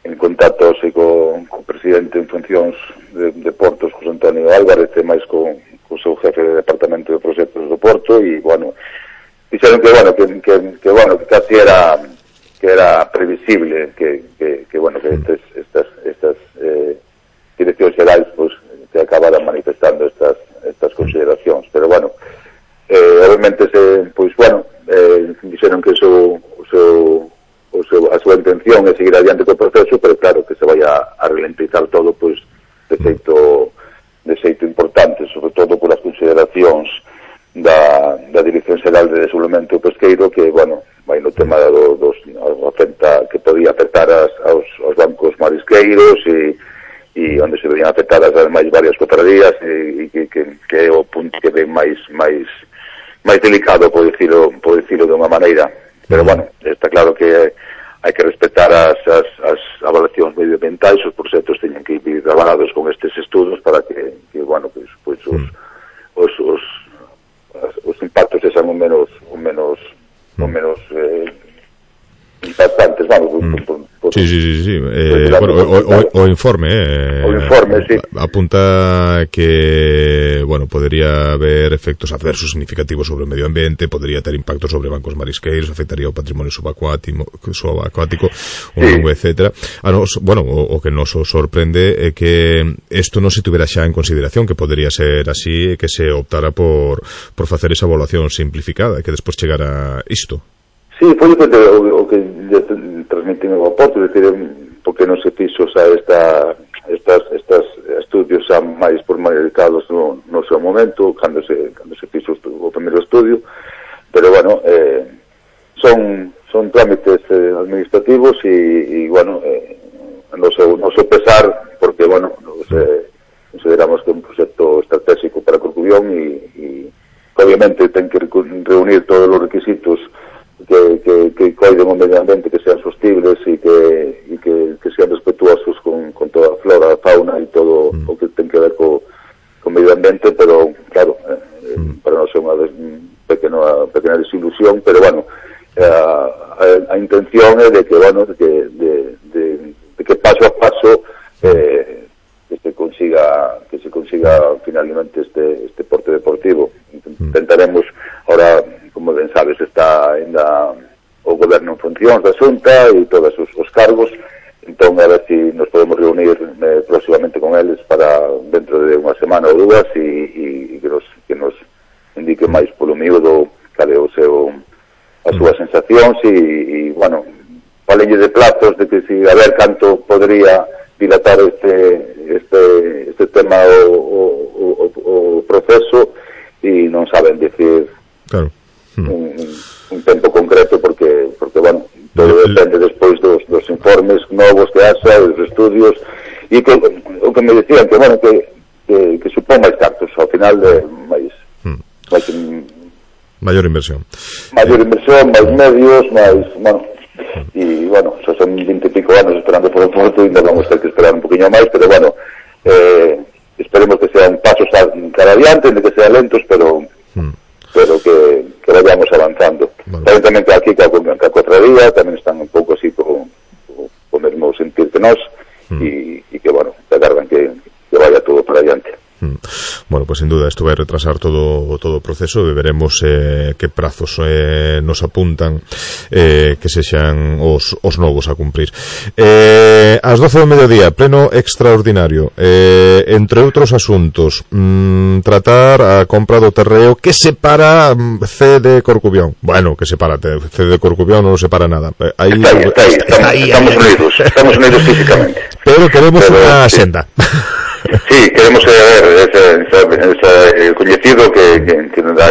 en contacto co presidente en funcións de Portos, José Antonio Álvarez, e máis co seu jefe de departamento de proxectos do Porto, e, bueno, dixeron que casi era previsible que estas direccións xerais pues, que acabaran manifestando estas consideracións, pero bueno, obviamente dixeron que a súa intención é seguir adiante co proceso, pero claro que se vai a ralentizar todo pues, de xeito importante, sobre todo polas consideracións da Dirección Xeral de Desenvolvemento Pesqueiro, que, bueno, vai no tema que podía afectar aos bancos marisqueiros e onde se veían afectadas ademais varias cofradías e que é o punto que ven máis delicado, por dicilo de unha maneira, pero, bueno, está claro que hai que respetar as avaliacións medioambientais, os proxectos teñen que ir avalados con estes estudos para que bueno, pues os impactos sexan o menos impactantes, vamos, Sí. O informe, sí. Apunta que, bueno, podría haber efectos adversos significativos sobre o medio ambiente, podría ter impactos sobre bancos marisqueiros, afectaría o patrimonio subacuático, etcétera. O que nos sorprende é que isto non se tuvera xa en consideración, que podería ser así, que se optara por facer esa evaluación simplificada, que despois chegara isto. Sí, foi o que transmitín ao Porto, é dicir, porque non se fixo xa estes estudios xa máis formalizados no seu momento, cando se fixo o primeiro estudio, pero, bueno, son trámites administrativos e bueno, no seu pesar, porque, bueno, consideramos que é un proxecto estratégico para Corcubión e obviamente ten que reunir todos os requisitos que coiden o medio ambiente, que sean sostibles e que sean respetuosos con toda a flora, a fauna e todo o que ten que ver co medio ambiente, pero claro, para nós é unha pequena desilusión, pero bueno, a intención é de que, bueno, de que paso a paso que se consiga finalmente este porte deportivo. Intentaremos, ahora, como ben sabes, está ainda o goberno en funcións da Xunta e todos os cargos, entón a ver se nos podemos reunir próximamente con eles para dentro de unha semana ou dúas e que nos indique máis polo miúdo cal é as súas sensacións e bueno, falenlle de plazos de que a ver canto podría dilatar este tema o proceso e non saben dicir claro. Un tempo concreto porque bueno, todo depende despois dos informes novos que haxa, dos estudios e o que me decían que bueno, que supón máis cartos ao final de maior inversión, máis medios, máis, bueno, e bueno, xa son 20 e pico anos esperando por o Porto e ainda vamos ter que esperar un poquinho máis, pero bueno, esperemos que sean pasos cara adiante, de que sean lentos, pero que vayamos avanzando. Tamén que aquí que a cofradía tamén están un pouco así co mesmo sentir que nós e que, bueno, que agardan que vaya todo Bueno, pues sin duda isto vai retrasar todo o proceso e veremos que prazos nos apuntan que sexan os novos a cumprir. Ás 12 do mediodía, pleno extraordinario, entre outros asuntos, tratar a compra do terreo que separa C de Corcubión. Bueno, que separa C de Corcubión non separa nada. Estamos unidos físicamente. Pero queremos unha senda. Sí, queremos ver ese coñecido que nos dá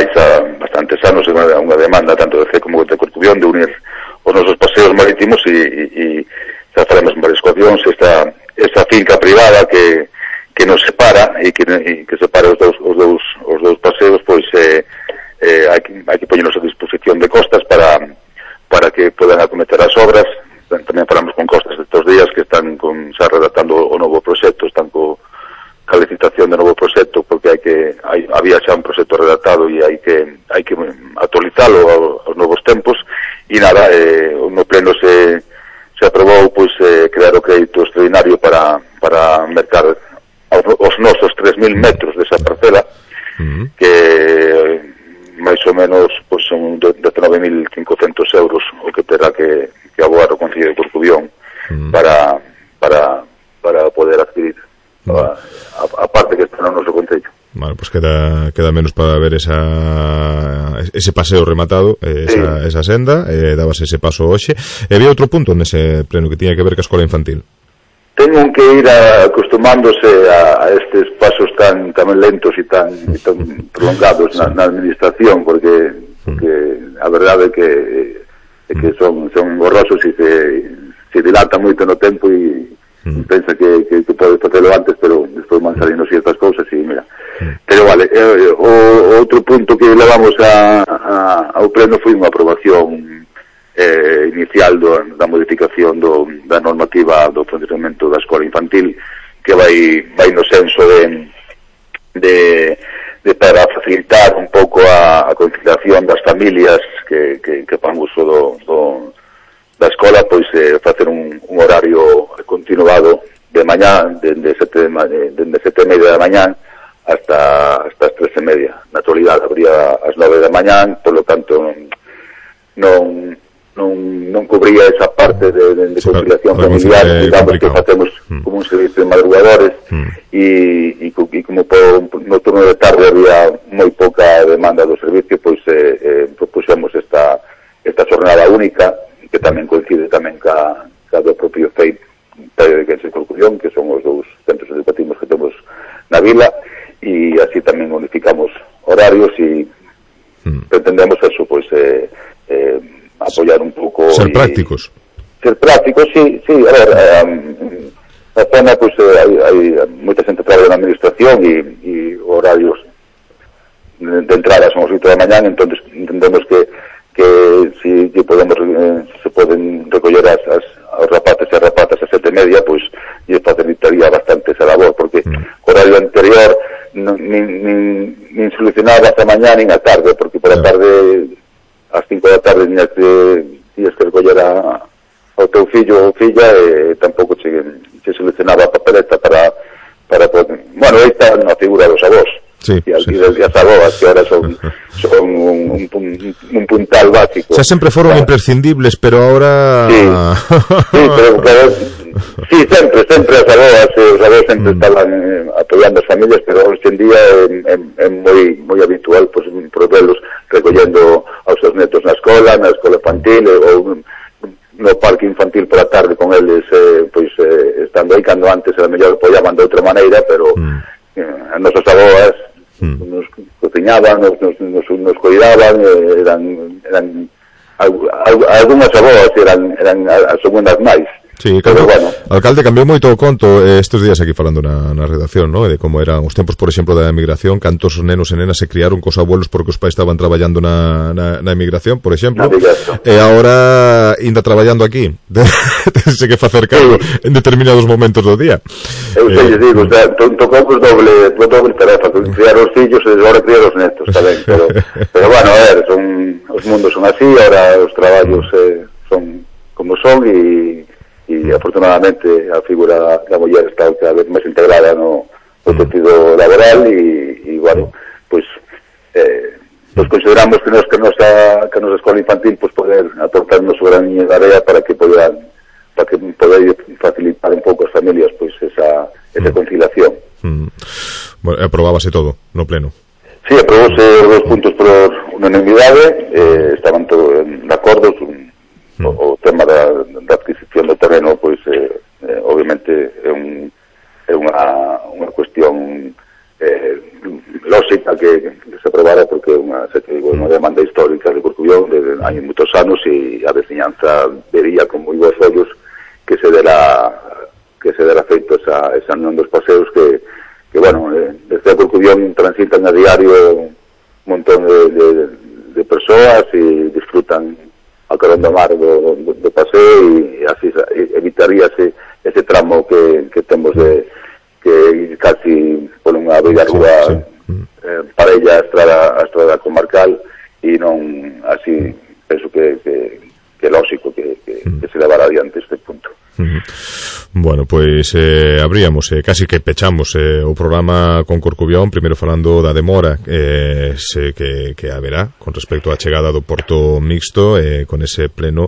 bastantes anos unha demanda tanto de C como de Corcubión de unir os nosos paseos marítimos e xa faremos varias ocasións esta finca privada que nos separa e que separa os dous paseos, pois hai que poñernos a disposición de costas para que podan acometer as obras. Tamén falamos con costas estes días que están xa redactando o novo proxecto, están ca licitación do novo proxecto, porque había xa un proxecto redactado e hai que actualizalo aos novos tempos. E nada, no pleno se aprobou pois crear o crédito extraordinario para mercar os nosos 3.000 metros desa parcela, que máis ou menos pois son 19.500 euros o que terá que abogar o Concello de Corcubión para poder adquirir a parte que está no noso concello. Vale, pues queda menos para ver ese paseo rematado, esa senda, dabas ese paso hoxe. Había outro punto nese pleno que tiña que ver ca escola infantil. Teñen que ir acostumándose a estes pasos tan lentos e tan prolongados na administración, porque a verdade é que son borrosos e se dilatan moito no tempo e pensa que pode facelo antes, pero despois van salindo ciertas cousas e mira. Pero vale, o outro punto que levamos ao pleno foi unha aprobación inicial da modificación da normativa do funcionamento da escola infantil, que vai no senso de para facilitar un pouco a conciliación das familias que fan uso da escola, pois facer un horario continuado de mañá, dende 7:30 da mañán hasta as 3:30. Na actualidade habría as 9 da mañán, por lo tanto non cubría esa parte de conciliación familiar, digamos que facemos como un servicio de madrugadores e como no turno de tarde había moi pouca demanda do servicio, pois propuxemos esta jornada única, que tamén coincide tamén ca do propio FEIP de Corcubión, que son os dous centros educativos que temos na vila, e así tamén unificamos horarios e pretendemos eso, pois apoiar un pouco ser prácticos, sí, a ver, na zona pois hai moita xente que trabalha na administración e horarios de entrada son as 8 da mañán, entonces entendemos que si se poden recoller os rapaces e as rapatas a 7:30, pois lle facilitaría bastante esa labor, porque o horario anterior nin solucionaba a mañá nin a tarde, porque por a tarde ás 5 da tarde tiñas que recoller ao teu fillo ou filla e tampouco se solucionaba a papeleta para poder... Bueno, aí está na figura dos avós. Sí, e as avós que ahora son un puntal básico. Xa sempre foron imprescindibles, pero ahora... Sí, sempre as avós sempre estaban apoiando as familias, pero hoxe en día é moi habitual pois provelos recollendo aos seus netos na escola infantil ou no parque infantil por a tarde con eles, pois estando aí, cando antes era mellor apoiaban de outra maneira, pero as nosas avós nos cociñaban, nos cuidaban, eran algunhas avós eran as segundas máis. Sí, alcalde, cambiou moito o conto estes días aquí falando na redacción, ¿no? De como eran os tempos, por exemplo, da emigración, cantos nenos e nenas se criaron cos abuelos porque os pais estaban traballando na emigración, por exemplo, e agora ainda traballando aquí. Tense que facer cargo en determinados momentos do día. Eu sei, digo, o sea, tocamos doble tarefa, criar os fillos e agora criar os netos, tamén, pero bueno, a ver, os mundos son así, ahora os traballos son como son e afortunadamente a figura da muller está cada vez máis integrada no sentido laboral tal, e bueno, pues consideramos que a nosa escola infantil pues poder aportarnos o graniño de area para que poder facilitar un pouco as familias pues esa conciliación. Bueno, aprobábase todo no pleno. Sí, aprobóse os 2 puntos por unanimidade, estaban todos de acordo. O tema da adquisición do terreno pois obviamente é unha cuestión lógica que se aprobara, porque é unha demanda histórica de Corcubión de hai moitos anos, e a veciñanza vería con moi bons ollos que se dera feito esa unión dos paseos que bueno, desde Corcubión transitan a diario un montón de persoas e disfrutan a carón do mar do paseo, e así evitaríase ese tramo que temos que casi por unha bella rúa parella a estrada comarcal, e non así penso que é lógico que se levara adiante este punto. Bueno, pois abríamos, casi que pechamos o programa con Corcubión, primeiro falando da demora que haberá con respecto á chegada do Porto Mixto, con ese pleno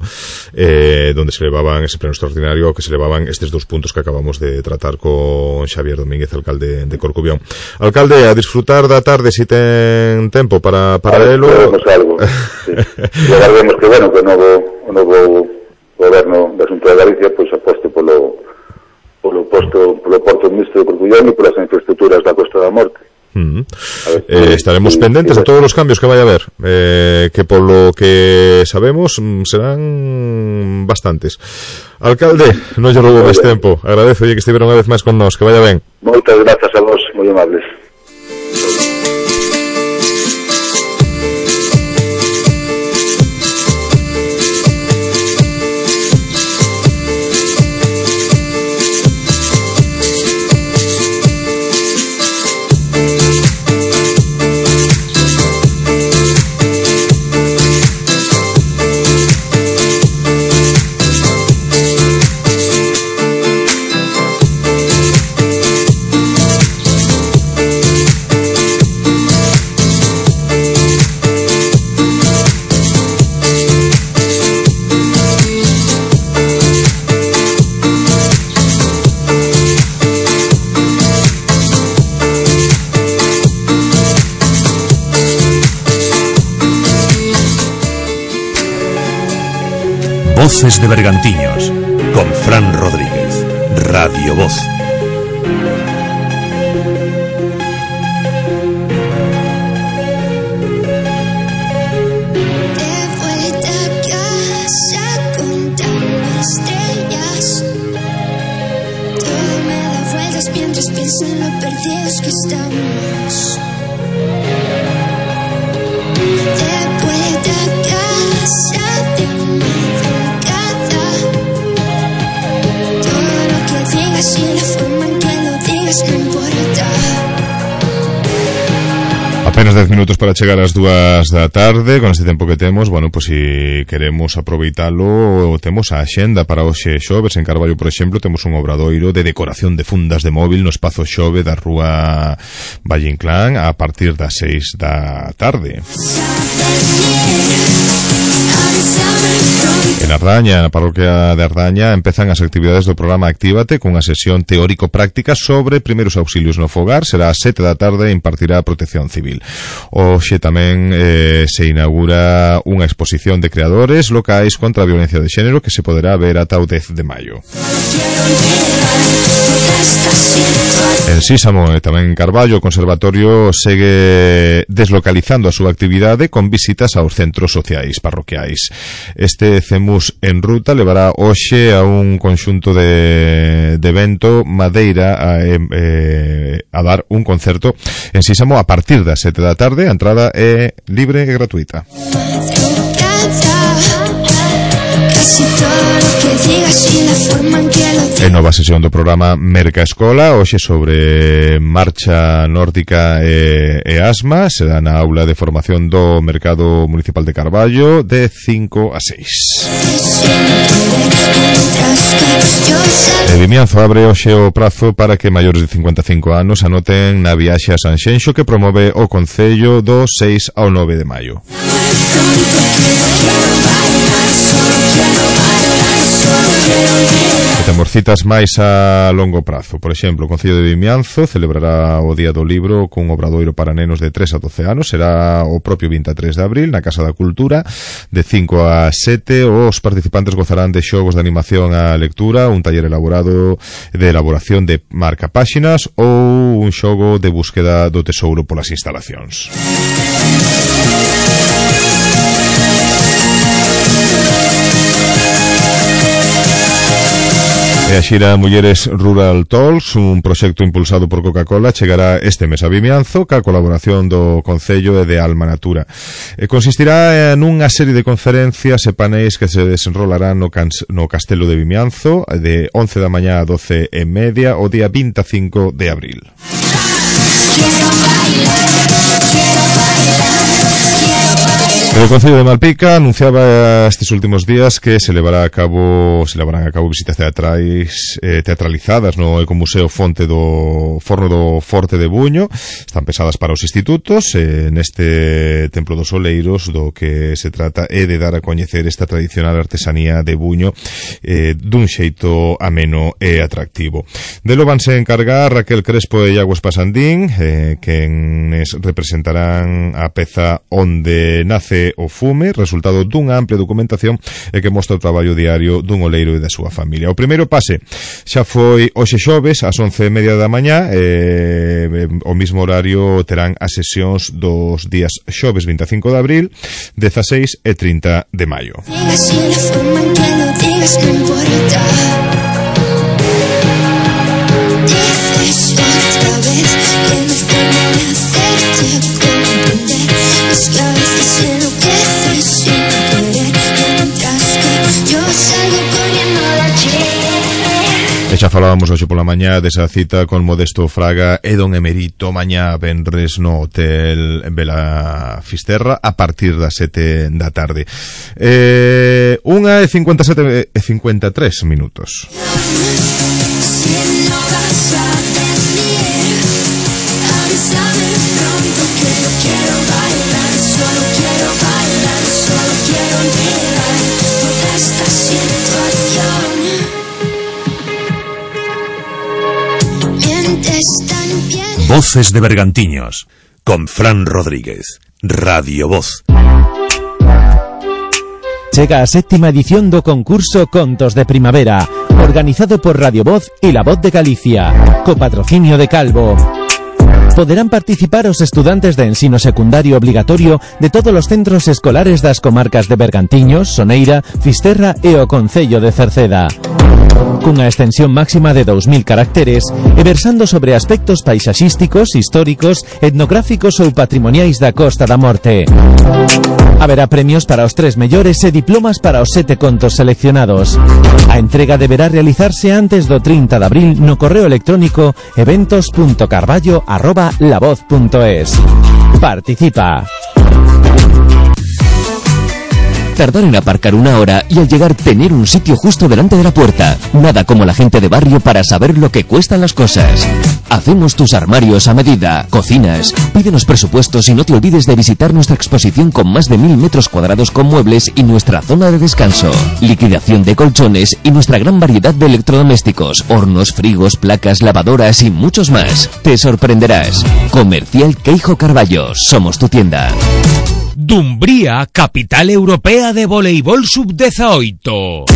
donde se levaban ese pleno extraordinario, que se levaban estes 2 puntos que acabamos de tratar con Xavier Domínguez, alcalde de Corcubión. Alcalde, a disfrutar da tarde si ten tempo para elo. Algo, sí. E agardemos que, bueno, que o novo goberno da Xunta de Galicia pois aposte polo Porto Mixto de Corcubión e polas infraestructuras da Costa da Morte. Estaremos pendentes de todos os cambios que vai haber, que polo que sabemos serán bastantes. Alcalde, non lle roubo máis tempo, agradezo que estiveron unha vez máis con nós, que vaya ben. Moitas grazas a vos, moi amables. Voces de Bergantiños, con Fran Rodríguez, Radio Voz. Mientras pienso en lo perdidos que estamos. De vuelta a casa de madrugada. Todo lo que digas y la forma en que lo digas no importa. Apenas 10 minutos para chegar ás 2 da tarde. Con este tempo que temos, bueno, pois se queremos aproveitalo, temos a axenda para hoxe xoves. En Carballo, por exemplo, temos un obradoiro de decoración de fundas de móvil no espazo Xove da rúa Valle Inclán a partir das 6 da tarde. En Ardaña, na parroquia de Ardaña, empezan as actividades do programa Actívate cunha sesión teórico-práctica sobre primeiros auxilios no fogar. Será ás 7 da tarde e impartirá a Protección Civil. Hoxe tamén se inaugura unha exposición de creadores locais contra a violencia de xénero que se poderá ver ata o 10 de maio. En Sísamo e tamén en Carballo, o Conservatorio segue deslocalizando a súa actividade con visitas aos centros sociais parroquiais. Este CEMUS en ruta levará hoxe a un conxunto de evento Madeira a dar un concerto en Sísamo a partir das 7 da tarde. A entrada é libre e gratuita. hagas y todo lo que digas y la forma en que lo digas. E nova sesión do programa Merca Escola, hoxe sobre marcha nórdica e asma, será na aula de formación do Mercado Municipal de Carballo de 5 a 6. E Vimianzo abre hoxe o prazo para que maiores de 55 anos anoten na viaxe a Sanxenxo que promove o Concello do 6 ao 9 de maio. E temos citas máis a longo prazo. Por exemplo, o Concello de Vimianzo celebrará o Día do Libro cun obradoiro para nenos de 3 a 12 anos. Será o propio 23 de abril na Casa da Cultura de 5 a 7. Os participantes gozarán de xogos de animación á lectura, un taller elaborado de elaboración de marcapáxinas ou un xogo de búsqueda do tesouro polas instalacións. E a xira Mulleres Rural Talks, un proxecto impulsado por Coca-Cola, chegará este mes a Vimianzo ca colaboración do Concello e de Alma Natura. E consistirá nunha serie de conferencias e paneis que se desenrolarán no Castelo de Vimianzo de 11 da mañá a 12 e media o día 25 de abril. El Concello de Malpica anunciaba estes últimos días que se levarán a cabo visitas teatralizadas no Ecomuseo Fonte do Forno do Forte de Buño. Están pensadas para os institutos neste Templo dos Oleiros. Do que se trata é de dar a coñecer esta tradicional artesanía de Buño dun xeito ameno e atractivo. Delo vanse encargar Raquel Crespo e Iago Espasandín, quenes representarán a peza Onde nace o fume, resultado dunha amplia documentación e que mostra o traballo diario dun oleiro e da súa familia. O primeiro pase xa foi hoxe xoves ás 11:30 da mañá, o mismo horario terán as sesións dos días xoves 25 de abril, 16 e 30 de maio. E xa falábamos hoxe pola mañá desa cita con Modesto Fraga e don Emerito mañá venres no Hotel Vela Fisterra a partir das 7 da tarde. 1:53 minutos. Voces de Bergantiños, con Fran Rodríguez, Radio Voz. Chega a 7ª edición do concurso Contos de Primavera, organizado por Radio Voz e La Voz de Galicia, co patrocinio de Calvo. Poderán participar os estudantes de ensino secundario obligatorio de todos os centros escolares das comarcas de Bergantiños, Soneira, Fisterra e o Concello de Cerceda. Cunha extensión máxima de 2000 caracteres e versando sobre aspectos paisaxísticos, históricos, etnográficos ou patrimoniais da Costa da Morte. Haberá premios para os 3 mellores e diplomas para os 7 contos seleccionados. A entrega deberá realizarse antes do 30 de abril no correo electrónico eventos.carballo@lavoz.es. Participa. Tardar en aparcar 1 hora y al llegar tener un sitio justo delante de la puerta. Nada como la gente de barrio para saber lo que cuestan las cosas. Hacemos tus armarios a medida, cocinas. Pídenos presupuestos y no te olvides de visitar nuestra exposición con más de 1000 metros cuadrados con muebles y nuestra zona de descanso. Liquidación de colchones y nuestra gran variedad de electrodomésticos, hornos, frigos, placas, lavadoras y muchos más. Te sorprenderás. Comercial Queijo Carballo. Somos tu tienda. Dumbría, capital europea de voleibol sub-18.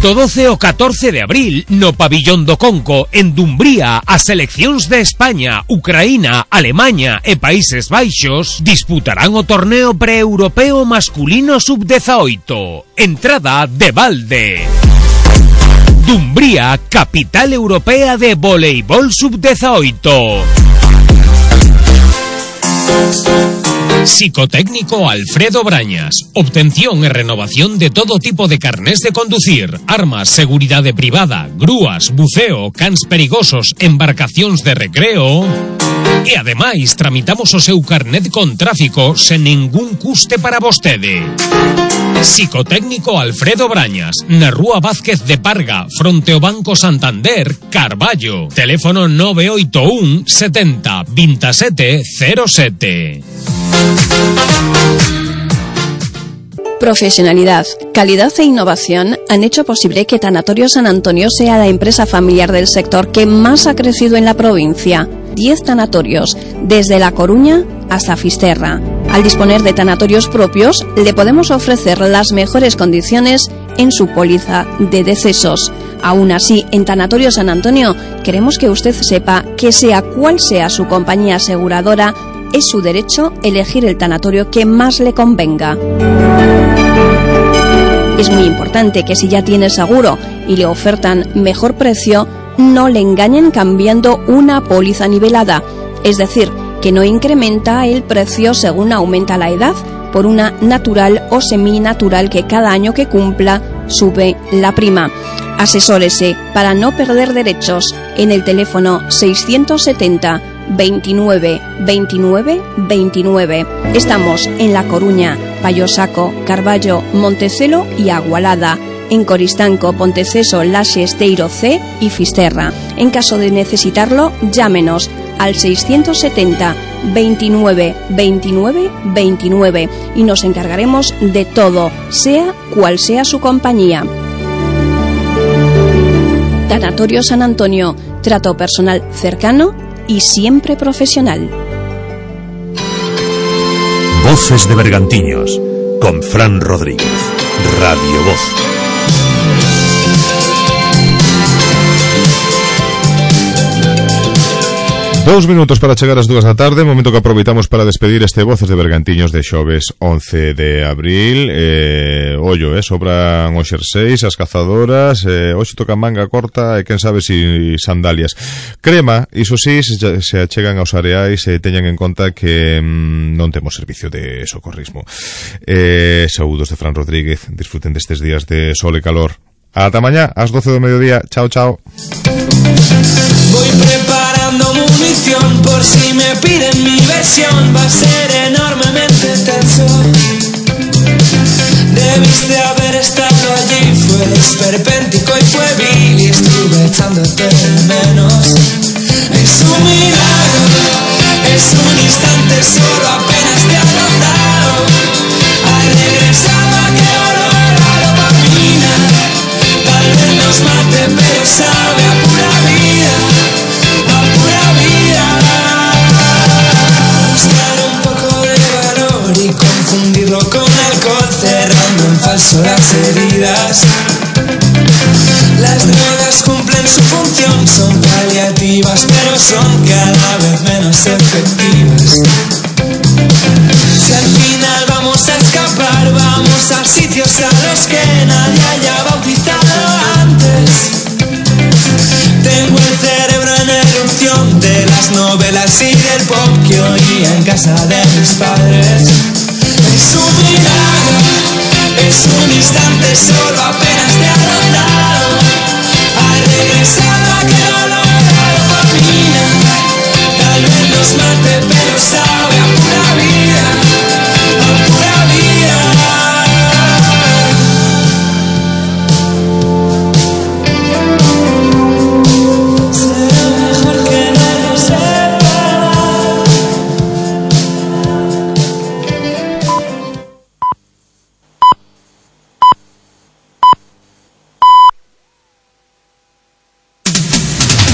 Do 12 ao 14 de abril, no Pabillón do Conco, en Dumbría, as seleccións de España, Ucraína, Alemaña e Países Baixos disputarán o torneo pre-europeo masculino sub-18. Entrada de balde. Dumbría, capital europea de voleibol sub-18. Psicotécnico Alfredo Brañas. Obtención y renovación de todo tipo de carnés de conducir, armas, seguridad privada, grúas, buceo, cans perigosos, embarcacións de recreo. E ademais tramitamos o seu carnet con tráfico sen ningún custe para vostede. Psicotécnico Alfredo Brañas, na Rúa Vázquez de Parga, fronte ao Banco Santander, Carballo. Teléfono 981 70 27 07. Profesionalidad, calidad e innovación han hecho posible que Tanatorio San Antonio sea la empresa familiar del sector que más ha crecido en la provincia. 10 tanatorios, desde La Coruña hasta Fisterra. Al disponer de tanatorios propios, le podemos ofrecer las mejores condiciones en su póliza de decesos. Aún así, en Tanatorio San Antonio, queremos que usted sepa que sea cual sea su compañía aseguradora, es su derecho elegir el tanatorio que más le convenga. Es muy importante que si ya tiene seguro y le ofertan mejor precio, no le engañen cambiando una póliza nivelada, es decir, que no incrementa el precio según aumenta la edad, por una natural o seminatural que cada año que cumpla sube la prima. Asesórese para no perder derechos en el teléfono 670 29 29 29. Estamos en La Coruña, Payosaco, Carballo, Montecelo y Agualada. En Coristanco, Ponteceso, Laxe, Esteiro C y Fisterra. En caso de necesitarlo, llámenos al 670 29 29 29 y nos encargaremos de todo, sea cual sea su compañía. Tanatorio San Antonio, trato personal cercano y siempre profesional. Voces de Bergantiños, con Fran Rodríguez, Radio Voz. 2 minutos para chegar ás 2 da tarde, momento que aproveitamos para despedir este Voces de Bergantiños de xoves 11 de abril. Ollo, sobran os xerseis, as cazadoras, hoxe toca manga corta e quen sabe si sandalias. Crema, iso sí, se achegan aos areais e teñan en conta que non temos servicio de socorrismo. Saúdos de Fran Rodríguez, disfruten destes días de sol e calor. Ata mañá, ás 12 do mediodía. Chao, chao. Voy preparando munición por si me piden mi versión. Va a ser enormemente tenso. Debiste haber estado allí. Fue esperpéntico y fue vil y estuve echándote de menos. Es un milagro, es un instante solo, apenas te ha notado. Al regresar va a que olor a dopamina. Tal vez nos mate pero sabe a pura vida, a pura vida. Buscar un poco de valor y confundirlo con alcohol, cerrando en falso las heridas. Las drogas cumplen su función, son paliativas pero son cada vez menos efectivas. Si al final vamos a escapar, vamos a sitios a los que nadie haya bautizado antes. Tengo el cerebro en erupción de las novelas y del pop que oía en casa de mis padres. Es un milagro, es un instante solo, apenas te ha notado.